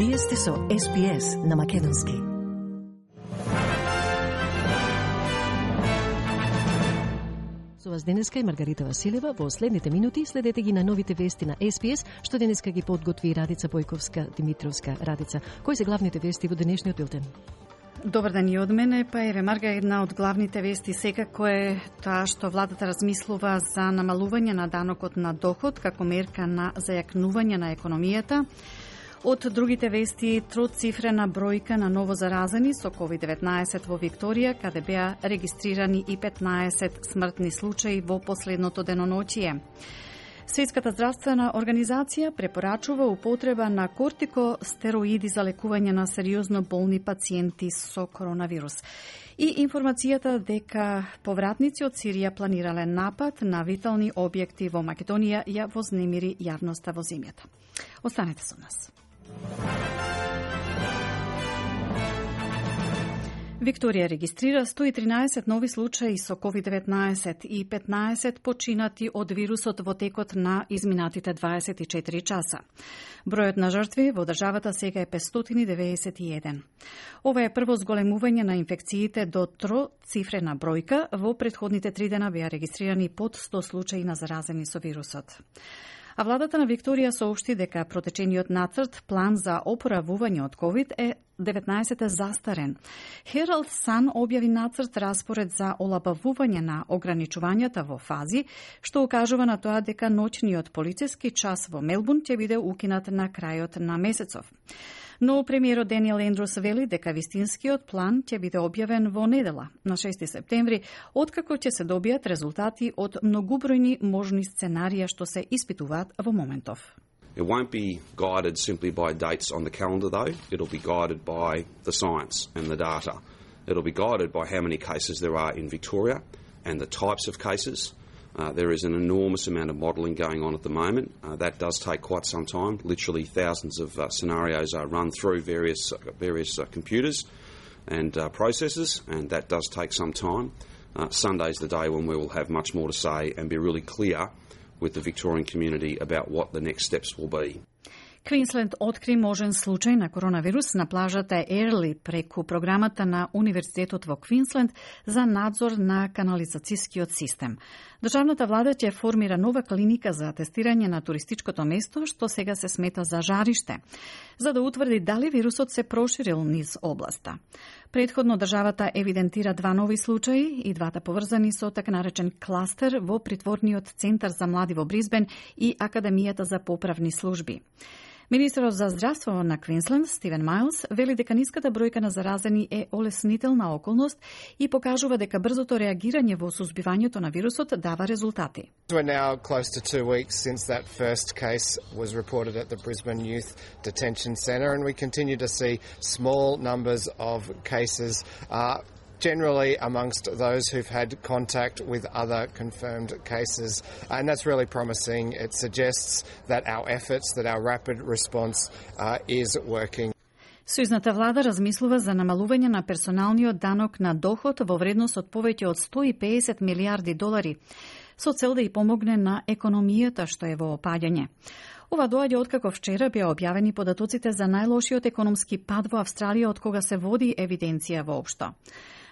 Вие сте со SPS на Македонски. Со вас денеска е Маргарита Василева. Во следните минути следете ги на новите вести на SPS, што денеска ги подготви Радица Бојковска-Димитровска. Радица, кои се главните вести во денешниот билтен? Добар ден и од мене, па еве Марга, една од главните вести секако е таа што владата размислува за намалување на данокот на доход како мерка на зајакнување на економијата. Од другите вести, троцифрена бројка на новозаразени со COVID-19 во Викторија, каде беа регистрирани и 15 смртни случаи во последното деноноќие. Светската здравствена организација препорачува употреба на кортикостероиди за лекување на сериозно болни пациенти со коронавирус. И информацијата дека повратници од Сирија планирале напад на витални објекти во Македонија ја вознемири јавноста во земјата. Останете со нас. Викторија регистрира 113 нови случаи со COVID-19 и 15 починати од вирусот во текот на изминатите 24 часа. Бројот на жртви во државата сега е 591. Ова е прво зголемување на инфекциите до троцифрена бројка. Во претходните 3 дена беа регистрирани под 100 случаи на заразени со вирусот. А владата на Викторија соопшти дека протечениот нацрт план за опоравување од COVID-19 е застарен. Herald Sun објави нацрт распоред за олабавување на ограничувањата во фази, што укажува на тоа дека ноќниот полициски час во Мелбурн ќе биде укинат на крајот на месецов. Но премиерот Даниел Ендрус вели дека вистинскиот план ќе биде објавен во недела, на 6 септември, откако ќе се добијат резултати од многубројни можни сценарија што се испитуваат во моментов. It won't be guided simply by dates on the calendar, though. It'll be guided by the science and the data. It'll be guided by how many cases there are in Victoria and the types of cases. There is an enormous amount of modelling going on at the moment. That does take quite some time. Literally thousands of scenarios are run through various computers and processes, and that does take some time. Sunday's the day when we will have much more to say and be really clear with the Victorian community about what the next steps will be. Квинсленд откри можен случај на коронавирус на плажата Ерли преку програмата на Универзитетот во Квинсленд за надзор на канализацијскиот систем. Државната влада ќе формира нова клиника за тестирање на туристичкото место, што сега се смета за жариште, за да утврди дали вирусот се проширил низ областа. Предходно државата евидентира 2 нови случаи и двата поврзани со така наречен кластер во притворниот центар за млади во Бризбен и Академијата за поправни служби. Министерот за здравство на Квинсленд, Стивен Майлс, вели дека ниската бројка на заразени е олеснителна околност и покажува дека брзото реагирање во сузбивањето на вирусот дава резултати. We're now close to 2 weeks since that first case was reported at the Brisbane Youth Detention Centre, and we continue to see small numbers of cases generally amongst those who've had contact with other confirmed cases. And that's really promising. It suggests that our efforts, that our rapid response is working. Сојузната влада размислува за намалување на персоналниот данок на доход во вредност од повеќе од 150 милиарди долари, со цел да и помогне на економијата што е во опаѓање. Ова доаѓа откако вчера беа објавени податоците за најлошиот економски пад во Австралија од кога се води евиденција воопшто.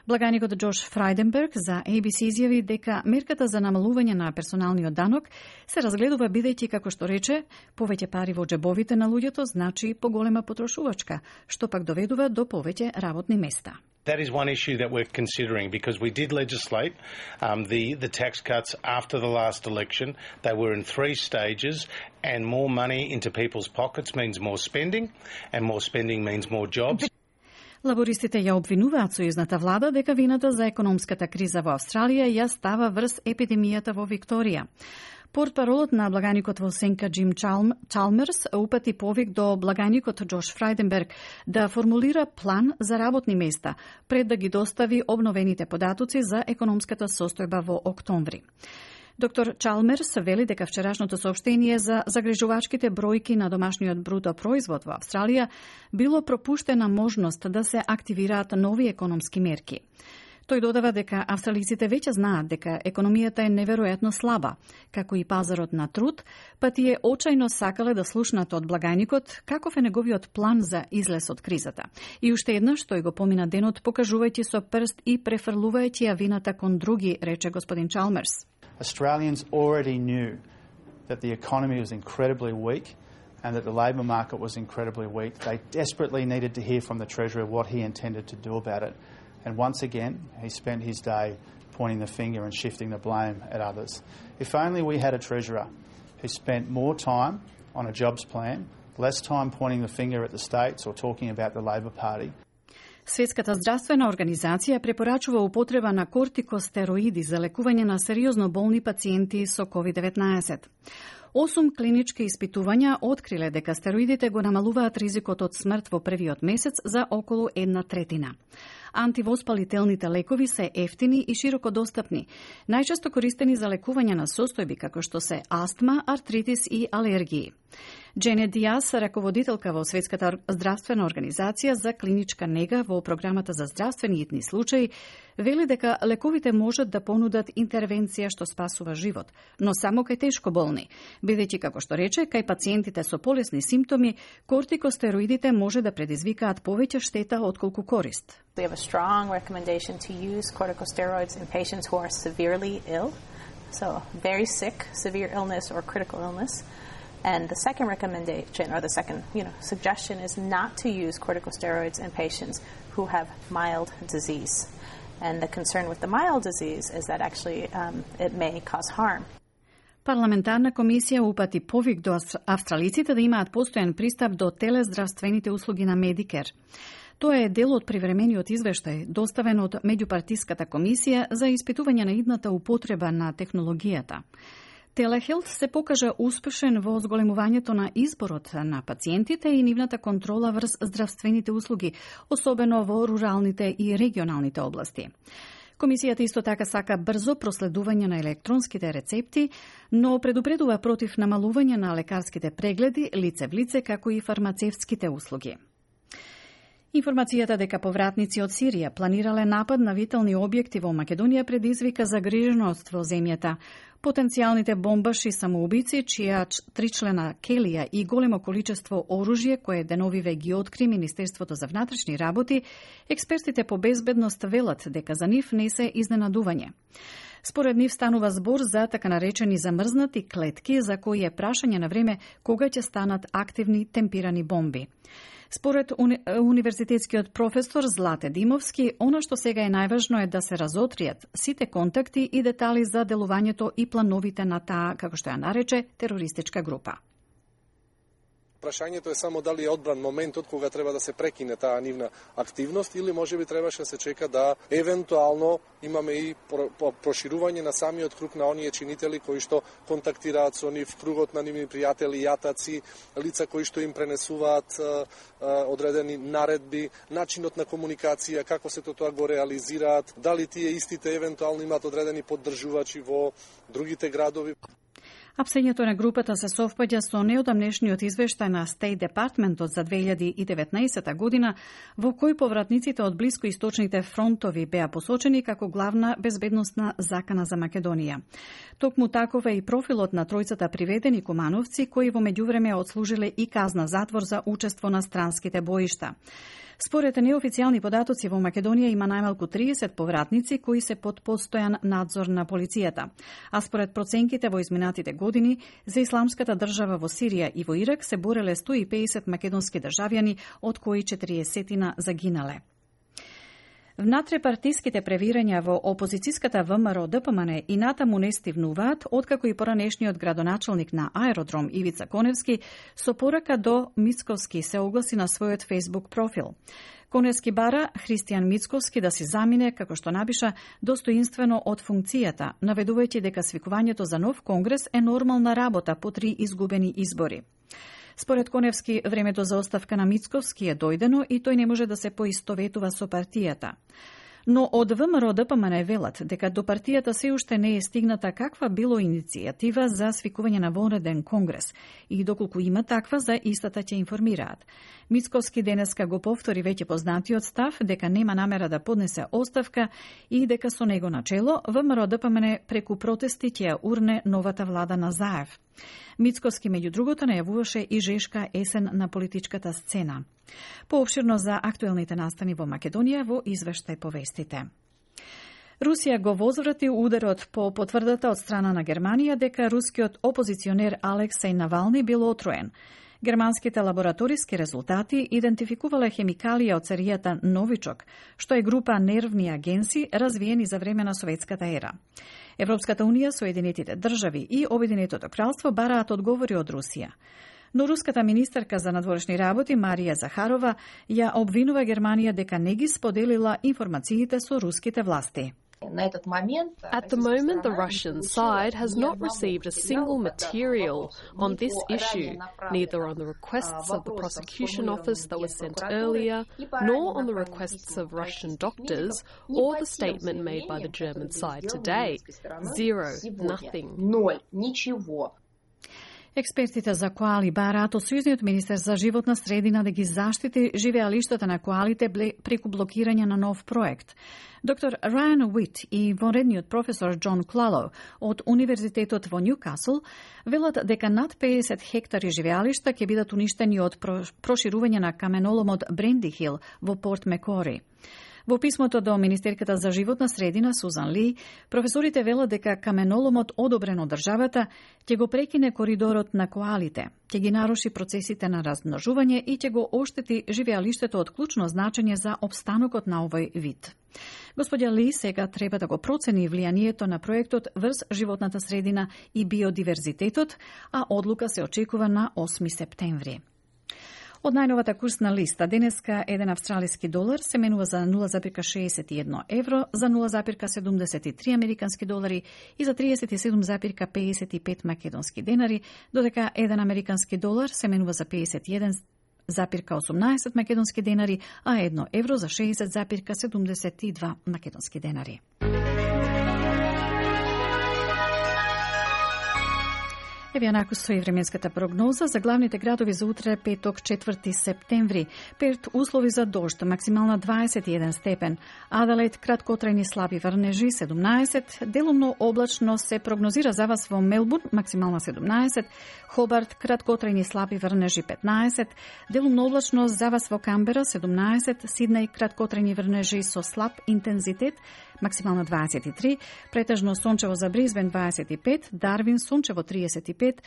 Благаникот Джош Фрајденберг за ABC изјави дека мерката за намалување на персоналниот данок се разгледува бидејќи, како што рече, повеќе пари во џебовите на луѓето значи поголема потрошувачка, што пак доведува до повеќе работни места. That is one issue that we're considering because we did legislate the tax cuts after the last election. They were in 3 stages, and more money into people's pockets means more spending, and more spending means more jobs. Лабористите ја обвинуваат сојузната влада дека вината за економската криза во Австралија ја става врз епидемијата во Викторија. Портпаролот на благаникот во Сенка Джим Чалмерс упати повик до благаникот Джош Фрајденберг да формулира план за работни места пред да ги достави обновените податоци за економската состојба во октомври. Доктор Чалмерс вели дека вчерашното соопштение за загрижувачките бројки на домашниот бруто производ во Австралија било пропуштена можност да се активираат нови економски мерки. Тој додава дека австралиците веќе знаат дека економијата е неверојатно слаба, како и пазарот на труд, па тие очајно сакале да слушнат од благајникот каков е неговиот план за излез од кризата. И уште еднаш тој го помина денот покажувајќи со прст и префрлувајќи ја вината кон други, рече господин Чалмерс. Australians already knew that the economy was incredibly weak and that the labour market was incredibly weak. They desperately needed to hear from the Treasurer what he intended to do about it. And once again, he spent his day pointing the finger and shifting the blame at others. If only we had a Treasurer who spent more time on a jobs plan, less time pointing the finger at the states or talking about the Labor Party. Светската здравствена организација препорачува употреба на кортикостероиди за лекување на сериозно болни пациенти со COVID-19. 8 клинички испитувања откриле дека стероидите го намалуваат ризикот од смрт во првиот месец за околу 1/3. Антивоспалителните лекови се ефтини и широко достапни, најчесто користени за лекување на состојби како што се астма, артритис и алергии. Дженет Диас, раководителка во Светската здравствена организација за клиничка нега во програмата за здравствени итни случаи, вели дека лековите можат да понудат интервенција што спасува живот, но само кај тешко болни, бидејќи како што рече, кај пациентите со полесни симптоми, кортикостероидите може да предизвикаат повеќе штета отколку корист. We have a strong recommendation to use corticosteroids in patients who are severely ill, so very sick, severe illness or critical illness. And the second recommendation, or the second, suggestion is not to use corticosteroids in patients who have mild disease. And the concern with the mild disease is that actually it may cause harm. Парламентарна комисија упати повик до австралиците да имаат постојан пристап до телездравствените услуги на Medicare. Тоа е дел од привремениот извештај, доставен од меѓупартиската комисија за испитување на идната употреба на технологијата. Телехелт се покажа успешен во зголемувањето на изборот на пациентите и нивната контрола врз здравствените услуги, особено во руралните и регионалните области. Комисијата исто така сака брзо проследување на електронските рецепти, но предупредува против намалување на лекарските прегледи лице в лице, како и фармацевтските услуги. Информацијата дека повратници од Сирија планирале напад на витални објекти во Македонија предизвика загриженост во земјата. Потенцијалните бомбаши самоубици, чија тричлена келија и големо количество оружје, кое деновиве ги откри Министерството за внатрешни работи, експертите по безбедност велат дека за нив не се изненадување. Според нив станува збор за така наречени замрзнати клетки, за кои е прашање на време кога ќе станат активни темпирани бомби. Според универзитетскиот професор Злате Димовски, она што сега е најважно е да се разотријат сите контакти и детали за делувањето и плановите на таа, како што ја нарече, терористичка група. Прашањето е само дали е одбран моментот кога треба да се прекине таа нивна активност или можеби требаше да се чека да евентуално имаме и проширување на самиот круг на оние чинители кои што контактираат со нив, кругот на нивни пријатели, јатаци, лица кои што им пренесуваат одредени наредби, начинот на комуникација, како се тоа го реализираат, дали тие истите евентуално имаат одредени поддржувачи во другите градови. Апсењето на групата се совпаѓа со неодамнешниот извештај на State Departmentот за 2019 година, во кој повратниците од блискоисточните фронтови беа посочени како главна безбедносна закана за Македонија. Токму таков е и профилот на тројцата приведени кумановци, кои во меѓувреме отслужиле и казна затвор за учество на странските боишта. Според неофицијални податоци во Македонија има најмалку 30 повратници кои се под постојан надзор на полицијата. А според проценките во изминатите години, за исламската држава во Сирија и во Ирак се бореле 150 македонски државјани, од кои 40 загинале. Внатрепартиските превирања во опозицијската ВМРО ДПМН и натаму не стивнуваат, откако и поранешниот градоначалник на аеродром Ивица Коневски со порака до Мицковски се огласи на својот Facebook профил. Коневски бара Христијан Мицковски да се замине, како што напиша, достоинствено од функцијата, наведувајќи дека свикувањето за нов конгрес е нормална работа по 3 изгубени избори. Според Коневски, времето за оставка на Мицковски е дојдено и тој не може да се поистоветува со партијата. Но од ВМРО ДПМН велат дека до партијата се уште не е стигната каква било иницијатива за свикување на вонреден конгрес и доколку има таква, за истата ќе информираат. Мицковски денеска го повтори веќе познатиот став дека нема намера да поднесе оставка и дека со него начело ВМРО ДПМН преку протести ќе ја урне новата влада на Заев. Мицковски, меѓу другото, најавуваше и жешка есен на политичката сцена. Поопширно за актуелните настани во Македонија во извештај по вестите. Русија го возврати ударот по потврдата од страна на Германија дека рускиот опозиционер Алексеј Навални бил отруен. Германските лабораториски резултати идентификувале хемикалија од серијата Новичок, што е група нервни агенси развиени за време на советската ера. Европската унија, Соединетите држави и Обединетото кралство бараат одговори од Русија. Но руската министерка за надворешни работи Марија Захарова ја обвинува Германија дека не ги споделила информациите со руските власти. At the moment, the Russian side has not received a single material on this issue, neither on the requests of the prosecution office that was sent earlier, nor on the requests of Russian doctors, or the statement made by the German side today. Zero, nothing. Експертите за коали бараат од Сојузниот министер за животна средина да ги заштити живеалиштата на коалите преку блокирање на нов проект. Доктор Райан Уит и вонредниот професор Џон Клало од Универзитетот во Њукасл велат дека над 50 хектари живеалишта ќе бидат уништени од проширување на каменоломот Бренди Хил во Порт Мекори. Во писмото до Министерката за животна средина Сузан Ли, професорите велат дека каменоломот одобрен од државата ќе го прекине коридорот на коалите, ќе ги наруши процесите на размножување и ќе го оштети живеалиштето од клучно значење за опстанокот на овој вид. Господја Ли сега треба да го процени влијанието на проектот врз животната средина и биодиверзитетот, а одлука се очекува на 8 септември. Од најновата курсна листа, денеска еден австралиски долар се менува за 0,61 евро, за 0,73 американски долари и за 37,55 македонски денари, додека еден американски долар се менува за 51,18 македонски денари, а 1 евро за 60,72 македонски денари. Еве јанаку стои временската прогноза за главните градови за утре, петок, 4 септември. Перт услови за дожд, максимална 21 степен. Аделаид краткотрајни слаби врнежи 17, делумно облачно се прогнозира за вас во Мелбурн, максимална 17, Хобарт краткотрајни слаби врнежи 15, делумно облачно за вас во Камбера 17, Сиднеј краткотрајни врнежи со слаб интензитет, максимално 23, претежно сончево за Бризбен 25, Дарвин сончево 35,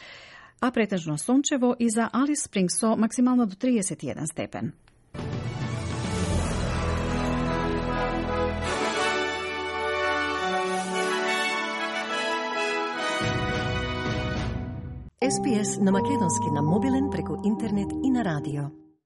а претежно сончево и за Алис Спрингс со максимално до 31 степен. SPS на македонски на мобилен преку интернет и на радио.